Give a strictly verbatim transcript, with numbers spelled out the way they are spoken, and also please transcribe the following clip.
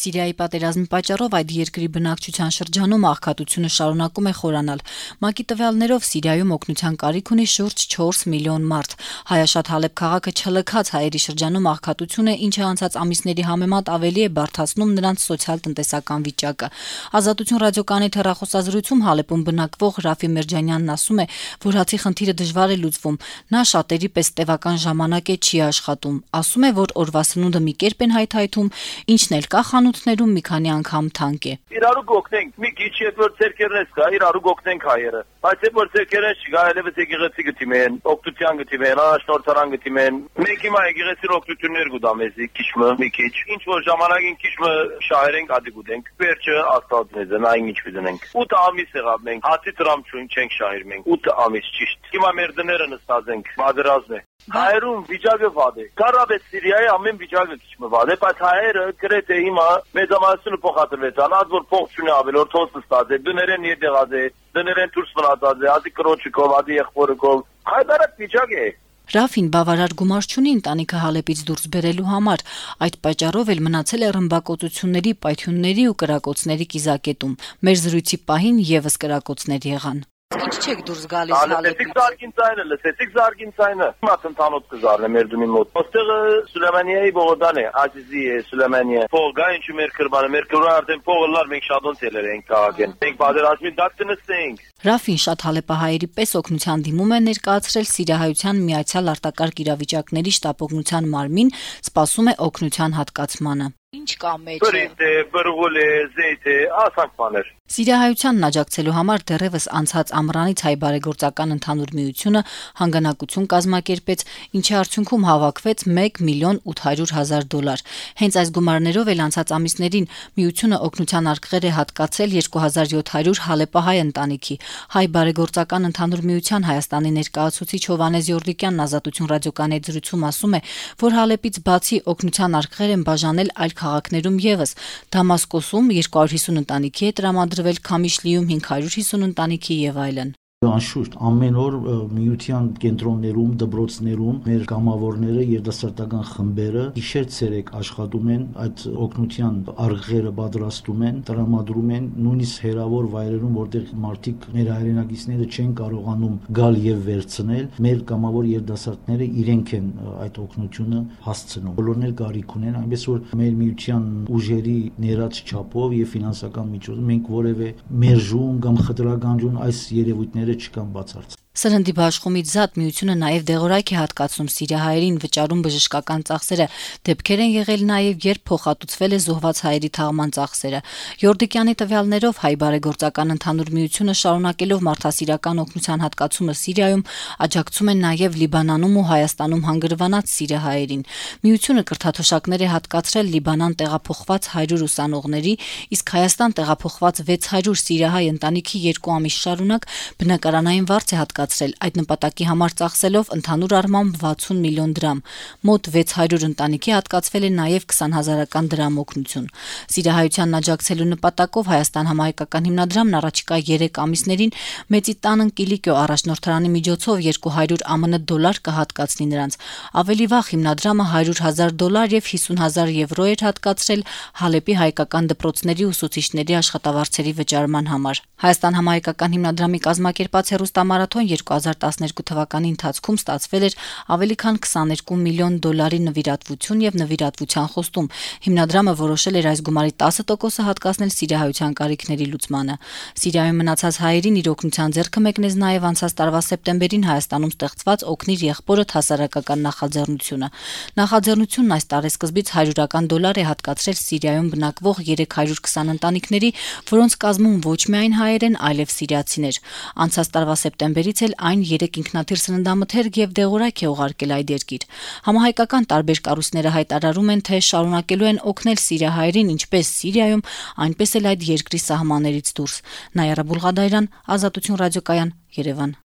Սիրիայի պատերազմի պատճառով այդ երկրի բնակչության շրջանում աղքատությունը շարունակում է խորանալ։ ՄԱԿ-ի տվյալներով Սիրիայում օգնության կարիք ունի շուրջ չորս միլիոն մարդ։ Հայաշատ Հալեբ քաղաքը չլքած հայերի շրջանում աղքատություն է, ինչը անցած ամիսների համեմատ ավելի է բարդացնում նրանց սոցիալ-տնտեսական վիճակը։ Ազատություն ռադիոկայանի հեռախոսազրույցում Հալեբում բնակվող Ռաֆի Մերջանյանն ասում է, որ հացի խնդիրը դժվար է լուծվում։ Նա շատերի պես տևական ժամանակ է չի աշխատում։ Ասում է, որ օրվա սնունդը մի կերպ են հայթայթում, ինչն էլ կա խանութներում մի քանի անգամ թանկ է։ Իրարու գոհնենք, մի քիչ երբ որ ցերկերնես կա, իրարու գոհնենք հայերը։ Բայց երբ որ ցերկերն չկա, այլևս եկեղեցի գտիմեն, օգտության գտիմեն, առաջնորդարան գտիմեն։ Մենք հիմա եկեղեցի օգտություններ գուտամեզի, քիչմը, մի քիչ։ Ինչ որ ժամանակին քիչմը շահերենք, ադի գուտենք։ Վերջը Աստված մեզ է, այն ինչ կդնենք։ ութ ամիս եղավ մենք, հացի տրամ չուն չենք շահեր մենք։ ութ ամիս ճիշտ։ Հիմա մեր դները նստած ենք, բادرազն է։ Հայերում վիճակը վատ է։ Կարաբե Սիրիայի ամեն վիճակը քիչ վատ է, բայց հայերը գրեթե հիմա մեծամասնությունը փոխադրվեցան, ած որ փող չունի ավելորդ հոս ստաց է, դներեն ետեղած է, դներեն դուրս մնացած է, ադի կրոջիկով, ադի եղբորիկով։ Հայդարակ վիճակ է։ Ռաֆին բավարար գումար չունի ընտանիքը Հալեբից դուրս բերելու համար, այդ պատճառով էլ մնացել է ռմբակոծությունների, պայթյունների ու կրակոցների կիզակետում։ Մեր զրույցի պահին եւս կրակոցներ եղան։ Ինչ չեք դուրս գալիս Հալեբից։ Զարգին ցայնը, լսեցիք Զարգին ցայնը։ Հիմա ցանոթ կզարնե մեր դումի մոտ։ Ոստեղը Սուլեյմանիայի բողոդան է, Աջիզի է Սուլեյմանիա։ Փողը ինչու մեր կրբանը, մեր կրբանը արդեն փողը լար մենք շատոն ցելեր ենք քաղաքեն։ Մենք բادرազմի դակտնստենք։ Ռաֆին շատ հալեպահայերի պես օգնության դիմում է ներկայացրել Սիրիահայության միացյալ արտակարգ իրավիճակների շտապօգնության մարմին, սպասում է օգնության հատկացմանը։ Ինչ կա մեջը։ Բրիտ է, բրղոլ է, զեյթ է, ասանք բաներ։ Սիրիահայությանն աջակցելու համար դեռևս անցած ամռանից հայ բարեգործական ընդհանուր միությունը հանգանակություն կազմակերպեց, ինչի արդյունքում հավաքվեց մեկ միլիոն ութ հարյուր հազար դոլար։ Հենց այս գումարներով էլ անցած ամիսներին միությունը օգնության արկղեր է հատկացել երկու հազար յոթ հարյուր հալեպահայ ընտանիքի։ Հայ բարեգործական ընդհանուր միության Հայաստանի ներկայացուցիչ Հովհաննես Յորդիկյանն Ազատություն ռադիոկայանի զրույցում ասում է, որ Հալեբից բացի օգնության արկղեր են բաժանել այլ քաղաքներում եւս։ Դամասկոսում երկու հարյուր հիսուն ընտանիքի է տրամադրվել, Քամիշլիում հինգ հարյուր հիսուն ընտանիքի եւ այլն։ Անշուշտ ամեն օր միության կենտրոններում, դպրոցներում մեր կամավորները, երիտասարդական խմբերը գիշեր-ցերեկ աշխատում են, այդ օգնության արկղերը պատրաստում են, տրամադրում են նույնիսկ հերավոր վայրերում, որտեղ մարդիկ մեր հայրենակիցները չեն կարողանում գալ եւ վերցնել, մեր կամավոր երիտասարդները իրենք են այդ օգնությունը հասցնում։ Բոլորն էլ կարիք ունեն, այնպես որ մեր միության ուժերի ներած չափով եւ ֆինանսական միջոցով մենք որևէ մերժում կամ խտրականություն այս երևույթները չկան բացարձակ։ Սրնդի բաշխումից զատ միությունը նաև դեղորայք է հատկացնում սիրիահայերին, վճարում բժշկական ծախսերը, դեպքեր են եղել նաև, երբ փոխհատուցվել է զոհված հայերի թաղման ծախսերը։ Յորդիկյանի տվյալներով հայ բարեգործական ընդհանուր միությունը շարունակելով մարդասիրական օգնության հատկացումը Սիրիայում աջակցում է նաև Լիբանանում ու Հայաստանում հանգրվանած սիրիահայերին։ Միությունը կրթաթոշակներ է հատկացրել Լիբանան տեղափոխված հարյուր ուսանողների, իսկ Հայաստան տեղափոխված վեց հարյուր սիրիահայ ընտանիքի երկու ամիս շարունակ բնակարանային վարձ է հատկացրել այդ նպատակի համար ծախսելով ընդհանուր առմամբ վաթսուն միլիոն դրամ։ Մոտ վեց հարյուր ընտանիքի հատկացվել է նաև քսան հազարական դրամ օգնություն։ Սիրիահայությանն աջակցելու նպատակով Հայաստան համահայկական հիմնադրամն առաջիկա երեք ամիսներին Մեծի տանն Կիլիկիո առաջնորդարանի միջոցով երկու հարյուր ԱՄՆ դոլար կհատկացնի նրանց։ Ավելի վաղ հիմնադրամը հարյուր հազար դոլար եւ հիսուն հազար եվրո էր հատկացրել Հալեպի հայկական դպրոցների ուսուցիչների աշխատավարձերի վճարման համար։ Հայաստան համահայկական հիմնադրամի կազմակերպած հեռուստամարաթոն երկու հազար տասներկու թվականի ընթացքում ստացվել էր ավելի քան քսաներկու միլիոն դոլարի նվիրատվություն եւ նվիրատվության խոստում։ Հիմնադրամը որոշել էր այս գումարի տասը տոկոսը հատկացնել սիրիահայության կարիքների լուծմանը։ Սիրիայում մնացած հայերին իր օգնության ձեռքը մեկնեց նաեւ անցած տարվա սեպտեմբերին Հայաստանում ստեղծված Օգնիր եղբորդ հասարակական նախաձեռնությունը։ Նախաձեռնությունն այս տարեսկզբից հարյուրական դոլար է հատկացրել Սիրիայում բնակվող երեք հարյուր քսան ընտանիքների, որոնց կազմում ոչ միայն հայեր են, այլև սիրիացիներ։ Անցած տարվա սեպտեմբերից էլ այն երեք ինքնաթիռ սննդամթերք եւ դեղորայք է ուղարկել այդ երկիր։ Համահայկական տարբեր կառույցները հայտարարում են, թե շարունակելու են օգնել սիրիահայերին ինչպես Սիրիայում, այնպես էլ այդ երկրի սահմաններից դուրս։ Նայարա Բուլղադայրան, Ազատություն ռադիոկայան, Երևան։